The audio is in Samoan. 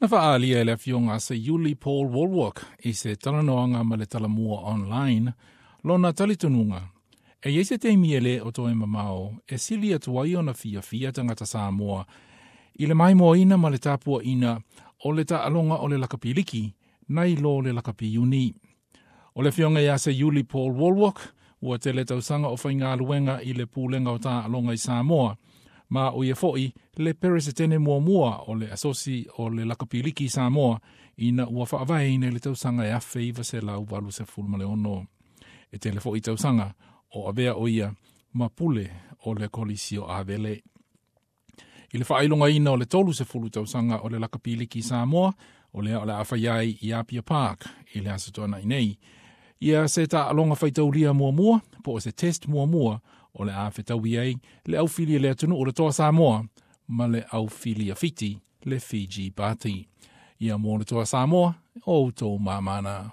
Na faaalia e le afioga a Seiuli Paul Wallwork i se talanoaga ma le Talamua Online lona talitonuga, e i ai se taimi e le o toe mamao e sili atu ai ona fiafia tagata Samoa i le maimoaina ma le tapuaina o le taaloga o le lakapi liki nai lo le lakapi iuni. O le afioga ia Seiuli Paul Wallwork ua tele tausaga o faigaluega i le Pulega o Taaloga i Samoa, ma o ia foi le Peresetene muamua o le Asosi o le Lakapi Liki i Samoa ina ua faavaeina i le tausaga e 1986. E tele foi tausaga o avea o ia ma pule o le Kolisi o Avele. I le faailogaina o le 30 tausaga o le Lakapi Liki i Samoa, o lea o le a faia ai i Apia Park i le Aso Toonai nei ia se taaloga faitaulia muamua po o se test muamua o le a fetaui ai le aufili a le atunuu o le Toa Samoa ma le aufili a Fiti, le Fiji Bati. Ia mo le Toa Samoa, o outou mamana.